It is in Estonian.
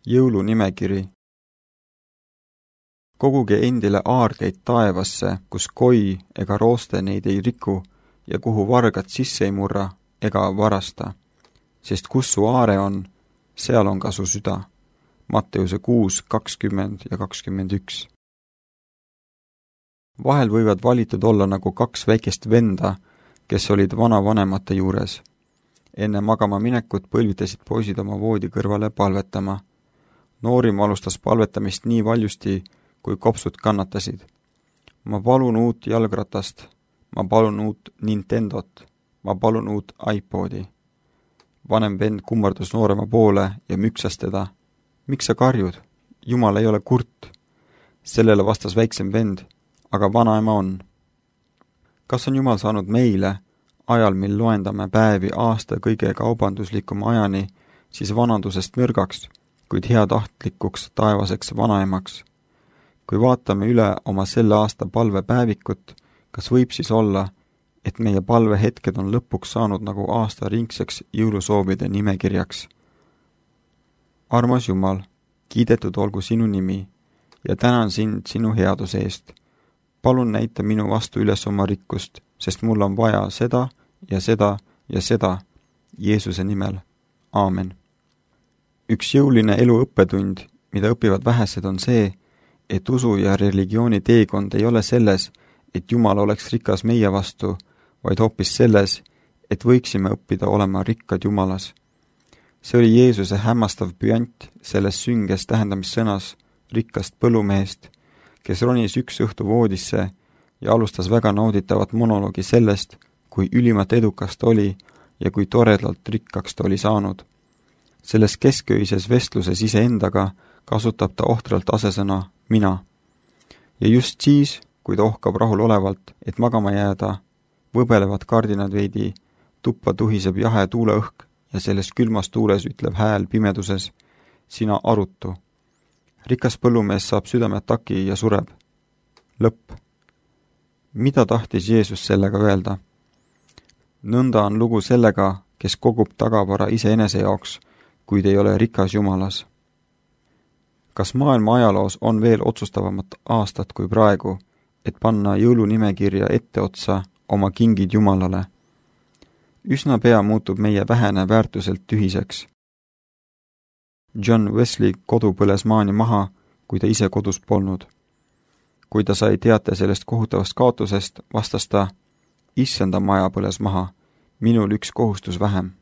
Jõulunimekiri. Koguge endile aardeid taevasse, kus koi ega rooste neid ei riku ja kuhu vargad sisse ei murra ega varasta. Sest kus su aare on, seal on ka su süda. Matteuse 6, 20 ja 21. Vahel võivad valitud olla nagu kaks väikest venda, kes olid vanavanemate juures. Enne magama minekut põlvitasid poisid oma voodi kõrvale palvetama. Noorim alustas palvetamist nii valjusti, kui kopsud kannatasid. Ma palun uut jalgratast, ma palun uut Nintendot, ma palun uut iPodi. Vanem vend kummardus noorema poole ja müksas teda. Miks sa karjud? Jumal ei ole kurt. Sellele vastas väiksem vend, aga vanaema on. Kas on Jumal saanud meile, ajal mil loendame päevi aasta kõige kaubanduslikuma ajani, siis vanadusest mürgaks, kuid heatahtlikuks taevaseks vanaemaks? Kui vaatame üle oma selle aasta palvepäevikut, kas võib siis olla, et meie palvehetked on lõpuks saanud nagu aasta ringseks jõulusoovide nimekirjaks? Armas Jumal, kiidetud olgu sinu nimi ja tänan sind sinu headuse eest. Palun näita minu vastu üles oma rikkust, sest mul on vaja seda ja seda ja seda Jeesuse nimel. Aamen. Üks jõuline elu õppetund, mida õpivad vähesed, on see, et usu ja religiooni teekond ei ole selles, et Jumal oleks rikas meie vastu, vaid hoopis selles, et võiksime õppida olema rikkad Jumalas. See oli Jeesuse hämmastav püant selles sünges tähendamissõnas rikkast põllumehest, kes ronis üks õhtu voodisse ja alustas väga nauditavat monoloogi sellest, kui ülimat edukas ta oli ja kui toredalt rikkaks ta oli saanud. Selles kesköises vestluses iseendaga kasutab ta ohtralt asesõna mina. Ja just siis, kui ta ohkab rahulolevalt, et magama jääda, võbelevad kardinad veidi, tuppa tuhiseb jahe tuuleõhk ja selles külmas tuules ütleb hääl pimeduses, sina arutu. Rikas põllumees saab südameataki ja sureb. Lõpp. Mida tahtis Jeesus sellega öelda? Nõnda on lugu sellega, kes kogub tagavara iseenese jaoks, kuid ei ole rikas Jumalas. Kas maailma ajaloos on veel otsustavamat aastat kui praegu, et panna jõulunimekirja etteotsa oma kingid Jumalale? Üsna pea muutub meie vähene väärtuselt tühiseks. John Wesley kodu põles maani maha, kui ta ise kodus polnud. Kui ta sai teate sellest kohutavast kaotusest, vastas ta, issanda maja põles maha, minul üks kohustus vähem.